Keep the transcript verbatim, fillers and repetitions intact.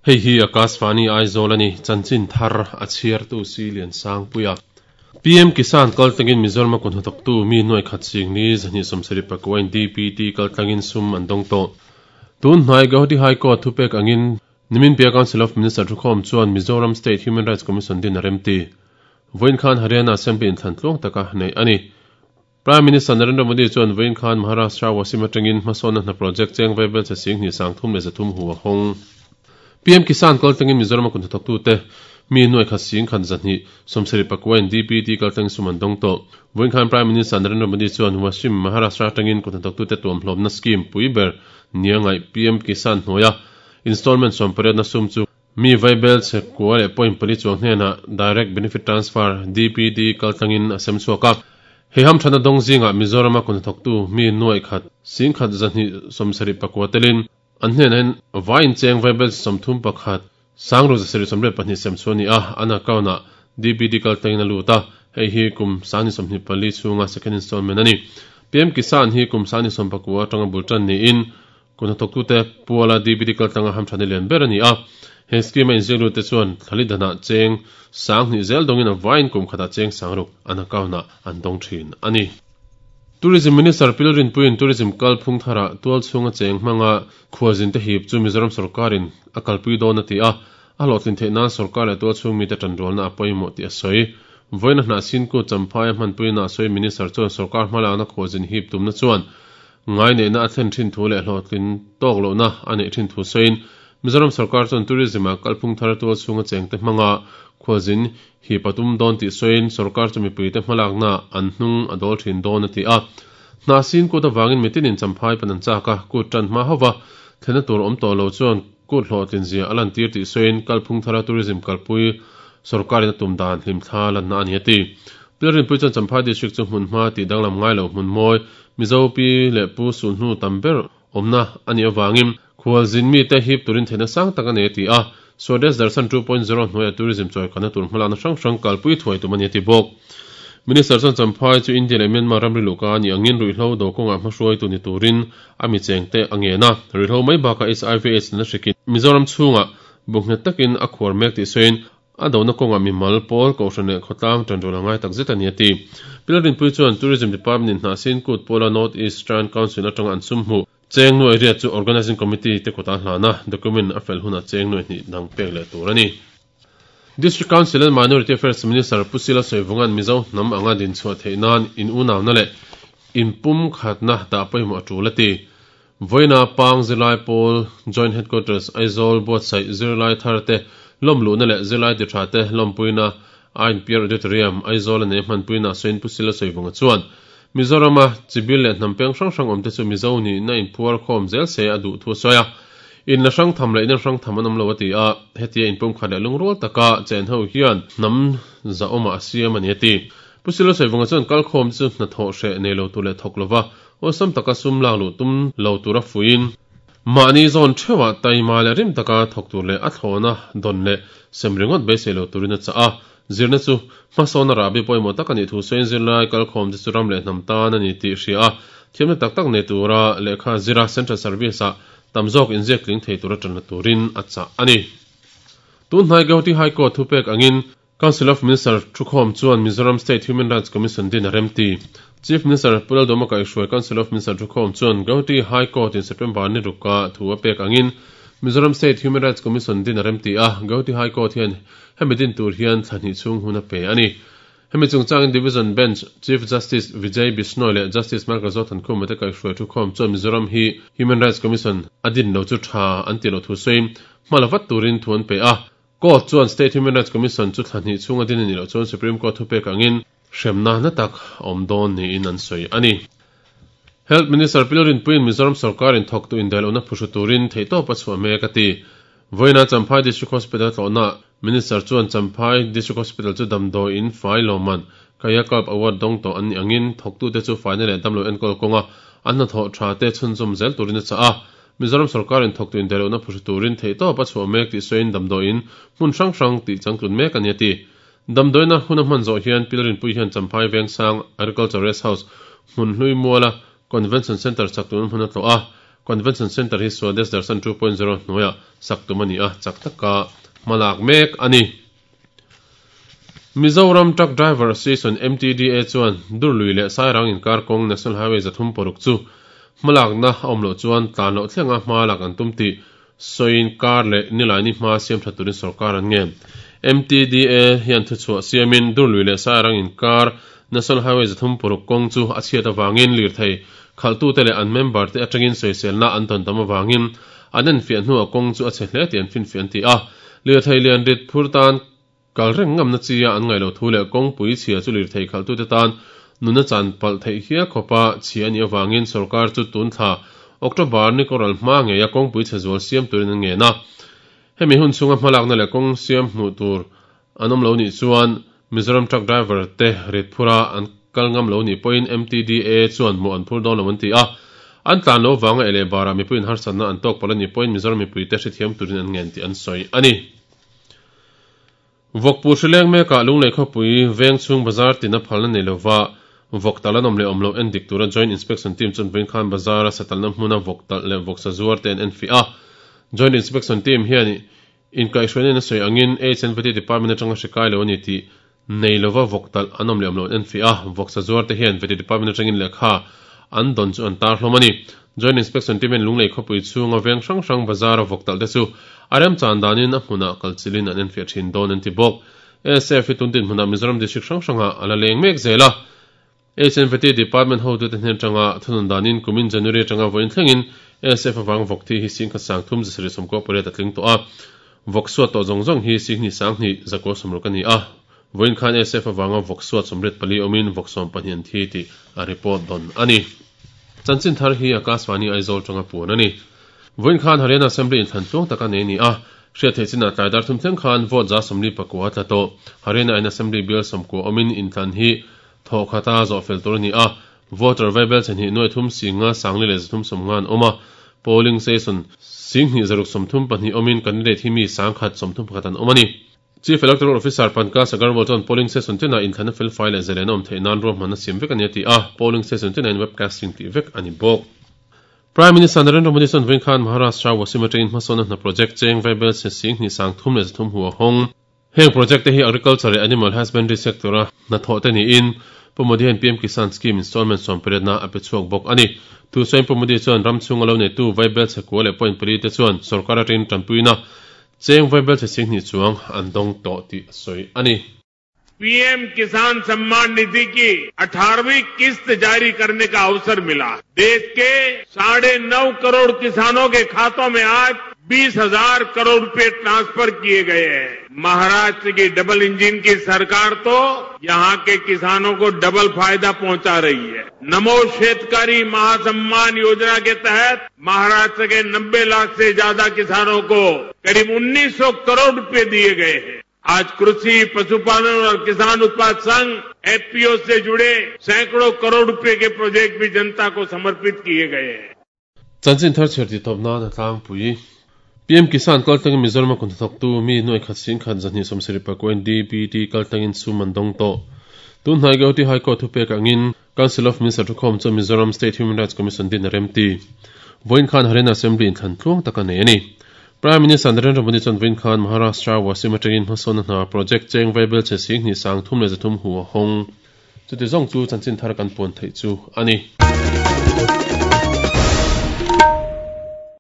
Hei hi Akashvani Aizawl ani chanchin thar a chhiartu si lian sang puia P M Kisan kaltlangin Mizoram kun hathawktu mi nuai khat sing ni zahni sawmsarih pakua in D P T kaltlangin sum an dawng tawh. Tun hnai Guwahati High Court thupek angin Nimin Pia Council of Minister thukhawm chuan Mizoram State Human Rights Commission din a remti. Vawiin khan Haryana Assembly in thlan tluang taka nei ani. Prime Minister Narendra Modi chuan vawiin khan Maharashtra Wasim atangin hmasawnna hna project cheng vaibel che sing hnih sang thum leh zathum hu a hawng. P M Kisan kaltlangin Mizoram kun hathawktu te mi nuai khat sing khat zahnih sawmsarih pakua in D P T kaltlang sum an dawng tawh. Vawiin khan Prime Minister Narendra Modi chuan Wasim Maharashtra atangin kun hathawktu te tuam hlawmna scheme pui ber niangai P M Kisan hnuaia installment sawmpariat na sum chu mi vaibel che kua leh point pali chuang hnena direct benefit transfer D P T kaltlangin a sem chhuak a. Hei ham thana dawng zinga Mizoram kun hathawktu mi nuai khat sing khat zahnih sawmsarih pakua telin an hnena hin vain cheng vaibel sawmthum pakhat sangru zasarih sawmriat pahnih sem chu ani a an account ah D P T kaltlangin a lut a. Hei hi kum sangni sawmhnih pali chhunga second installment ani. P M Kisan hi kum sangni sawm pakua atanga bultan niin kun hathawktu te puala D P T kaltlanga ham thani lian ber ani a. He scheme a inziak te chuan thlali dana cheng sanghnih zel dawngin a vain kum khata cheng sangruk an account ah an dawng thin ani. Tourism Minister Pilrin Puin Tourism kalphung thara tual chhunga cheng hmanga khuazin te hip chu Mizoram sarkarin a kalpui dawn a ti a. A hlawhtlin theih nan sarkar leh tual chhung mi te tanrualna a pawimawh tih a sawi. Vawiin a hnah sin ku champhai a hmanpuina a sawi Minister chuan sarkar hmalakna khuazin hip tumna chuan ngai neihna a thlen thin thu leh hlawhtlin tawk lohna a neih thin thu sawiin Mizoram sarkar chuan tourism a kalphung thar tual chhunga cheng te hmanga khuazin hip a tum dawn tih sawiin sarkar chu mipui te hmalakna an hnung a dawl thin dawn a ti a. Hnah sin kut awangin mitinin champhai pan an chak a kut tan hma hova thlena tur awm tawh lo chuan kut hlawhtlin zia a lan tir tih sawiin kalphung thara tourism kalpui sarkarin a tum dan hlim thla lanna ani a ti. Pilrin pui chuan Champhai district chu hmun hma tih danglam ngai lo hmun mawi Mizo pi leh pu sulhnu tam ber awmna ani awangin khualzin mi te hip turin theihna sang tak ani a ti a. Swadesh Darshan two point zero hnuaia tourism chawi kana tur hmalakna hrang hrang kalpui thuai tum ani a ti bawk. Minister chuan Champhai chu India leh Myanmar ramri luhka ani angin ruihhlo do kawngah hmahruai tu ni turin a mi cheng te a ngen a. Ruihhlo mai bakah H I V AIDS na hrikin Mizoram chhungah bunghnet takin a khuar mek tih sawiin a dona kawngah mimal pawl kohhran leh khawtlang tanrual a ngai tak zet ani a ti. Pilrin pui chuan Tourism Department in hnah sin kut pawla North Eastern Council atanga an sum hmu cheng nuai riat chu Organizing Committee te kawta hlana document a fel hunah cheng nuai hnih dang pek leh tur ani. District Council and Minority Affairs Minister Pusila Soivungan Mizo hnam anga din chhuah theih nan in unawna leh in pum khatna dah pawimawh a tul a ti. Vawiina Pang Zirlai Pawl Joint Headquarters Aizawl buatsaih zirlai thar te lawmluhna leh zirlai ti tha te lawmpuina Ain Pier Auditorium Aizawl a nei hmanpuina sawiin Pusila Soivunga chuan Mizorama chibil leh hnam peng hrang hrang awm te chu Mizo ni na in phuar khawm zel se a duh thu a sawi a. In la hrang tham leh in hrang tham an awm lo a ti a. Hetia in pum khat leh lungrual taka chen ho hian hnam za awmah a siam ani a ti. Pusila Soivunga chuan kalkhawm chu hna thawh hreh nei lo tur leh thawk lova awlsam taka sum lak luh tum lo tur a fuiin mahni zawn theuhah taima leh rim taka thawk tur leh a thlawna dawn leh sem ringawt beisei lo turin a chah a. Zirna chu hmasawn a rahbi pawimawh tak ani thu sawiin zirlai kalkhawm te chu ram leh hnam tan ani tih hria a. Thiamna tak tak nei tura lehkha zira Central Service ah tam zawk inziak tling thei tura tanna turin a chah ani. Tun hnai Guwahati High Court thupek angin Council of Minister thukhawm chuan Mizoram State Human Rights Commission din a remti. Chief Minister Pu Lalduhoma kaihhruai Council of Minister thukhawm chuan Guwahati High Court in September ni ruka thu a pek angin Mizoram State Human Rights Commission din a remti a. Guwahati High Court hian hemi din tur hian thlahnih chhung hun a pe ani. Hemi chungchangin Division Bench Chief Justice Vijay Bishnoi leh Justice Michael Zothankhuma te kaihhruai thukhawm chuan Mizoram hi Human Rights Commission a din lo chu tha an ti lo thu sawiin hmala vat turin thu an pe a. Court chuan State Human Rights Commission chu thlahnih chhunga din ani lo chuan Supreme Court thupek angin hremna na tak awm dawn niin an sawi ani. Health Minister Pilrin Puin Mizoram sarkarin thawktu indaihlohna phuhru turin theihtawp a chhuah mek a ti. Vawiina Champhai District Hospital tlawhna Minister chuan Champhai District Hospital chu damdawi in fai lawman Kayakalp Award dawng tawh an ni angin thawktu te chu faina leh damlo enkawl kawnga an hna thawh tha te chhunzawm zel turin a chah a. Mizoram sarkarin thawktu indaihlohna phuhru turin theihtawp a chhuah mek tih sawiin damdawi in hmun hrang hrang tih changtlun mek ani a ti. Damdawiina hun a hman zawh hian Pilrin Pui hian Champhai Vengsang Agriculture Rest House hmun hlui muala Convention Center sak tun hmun a tlawh a. Convention Centre hi Swadesh Darshan two point zero hnuaiah sak tum a ni a, chak taka hmalak mek a ni. Mizoram Truck Driver Association M T D A chuan Durlui leh Sairang inkar kawng National Highway zathum paruk chu hmalakna a awm loh chuan tlan loh thlenga hma lak an tum tih sawiin kar leh nilaini hma siam tha turin sorkar an ngen. M T D A hian thuchhuah siamin Durlui leh Sairang inkar National Highway zathum paruk kawng chu a chhiat awangin lirthei khaltu te leh an member te atangin sawiselna an tawn tam awangin an en fiah hnuah kawng chu a chhe hle tih an finfiah an ti a. Lirthei lian rit phur tan kal reng ngamna chia an ngaih loh thu leh kawngpui chhia chu lirthei khaltu te tan nuna chan palh theih hial khawpa chhia a nih awangin sorkar chu tun thla October ni kawral hma ngei a kawngpui chhe zual siam turin an ngen a. Hemi hun chhunga hmalakna leh kawng siam hmuh tur an awm lo nih chuan Mizoram Truck Driver te rit phura an kal ngam lo nih pawhin M T D A chuan mawh an phur dawn lo an ti a. An tlan lo wanga ele bara mipuiin harsatna an tawk palh a nih pawhin Mizoram mipui te hrethiam turin an ngen tih an sawi a ni. Vawkpu hrileng mekah Lunglei khawpui veng chhung bazar tina phalna nei lova vawk tal an awm leh awm lo en dik tura Joint Inspection Team chuan vawiin khan bazar a satalna hmuna vawk talh leh vawk sa zuar te an en fiah a. Joint Inspection Team hian inkaihhruaina in a sawi angin H and V T Department atanga hri kai lo a ni tih nei lova vawk talh an awm leh awm lo an en fiah a. Vawk sa zuar te hian V T Department atangin lehkha an dawn chu an tar hlawm a ni. Joint Inspection Team hian Lunglei khawpui chhunga veng hrang hrang bazar a vawk talh te chu a rem chan danin a hmunah kalchilin an en fiah thin dawn an ti bawk. S F hi tuntin hmunah Mizoram District hrang hrangah a la leng mek zel a. H and V T Department ho tu te hnen atanga thunun danin kumin January atanga vawiin thlengin S F awang vawk thi hi singkhat sang thum zasarih sawmkua pariat a tling tawh a. Vawk suat tawh zawng zawng hi singhnih sanghnih zakua sawmruk a ni a. Vawiin khan S F awanga vawk suat sawmriat pali awmin vawk sawm pahnih an thi tih a report dawn a ni. Chanchin thar hi Akashvani Aizawl tanga puan a ni. Vawiin khan Haryana Assembly in thlan tluang taka nei a ni a. Hriat theih chinah tlai dar thum thleng khan vote za sawmli pakua tla tawh. Haryana in Assembly bial sawmkua awmin inthlan hi thaw khata zawh fel tur a ni a. Voter vaibel chhehnih nuai thum singa sangli leh zathum sawmnga an awm a. Polling station singhnih zaruk sawmthum pahnih awmin candidate hi mi sangkhat sawmthum pakhat an awm a ni. Chief Electoral Officer Pankaj Agarwal chuan polling station tinah inthlana fel fai leh zalen a awm theih nan ruahmanna siam vek a ni a ti a. Polling station tinah in webcasting tih vek a ni bawk. Prime Minister Narendra Modi chuan vawiin khan Maharashtra Washim atangin hmasawnna hna project cheng vaibel chhe singhnih sang thum leh zathum hu a hawng. Heng project te hi agriculture leh animal husbandry sector a hnathawh te niin Pu Modi hian P M Kisan Scheme installment sawm pariatna a pe chhuak bawk a ni. Tu sawiin Pu Modi chuan ram chhunga lo neitu vaibel chhe kua leh point pali te chuan sorkar atangin tanpuina cheng vaibel chhe singhnih chuang an dawng tawh tih a sawi a ni. P M Kisan Samman Nidhi की अठारहवीं किस्त जारी करने का अवसर मिला। देश के साढ़े नौ करोड़ किसानों के खातों में आज बीस हजार करोड़ रुपए ट्रांसफर किए गए हैं। महाराष्ट्र की डबल इंजन की सरकार तो यहां के किसानों को डबल फायदा पहुंचा रही है। नमो शेतकारी महासम्मान योजना के तहत महाराष्ट्र के नब्बे लाख से ज्यादा किसानों को करीब उन्नीस सौ करोड़ रुपए दिए गए हैं। आज कृषि, पशुपालन और किसान उत्पाद संघ F P O से जुड़े सैकड़ों करोड़ रुपए के प्रोजेक्ट भी जनता को समर्पित किए गए हैं। Chanchin thar chher ti tawp nan a tlangpui. P M Kisan kaltangin Mizoram a kunhnathawk tu mi nuai khat sing khat zahnih sawmsarih pakua in D B T kaltangin sum an dawng tawh. Tun hnai Guwahati High Court thupek angin Council of Minister thukhawm chu Mizoram State Human Rights Commission din a rem ti. Vawiin khan Haryana Assembly in thlan tluang taka nei a ni. Prime Minister Narendra Modi chuan vawiin khan Maharashtra Washim atangin hmasawnna hna project cheng vaibel chhe singhnih sang thum leh zathum hu a hawng. Chuti zawng chu chanchin thar kan puan theih chu a ni.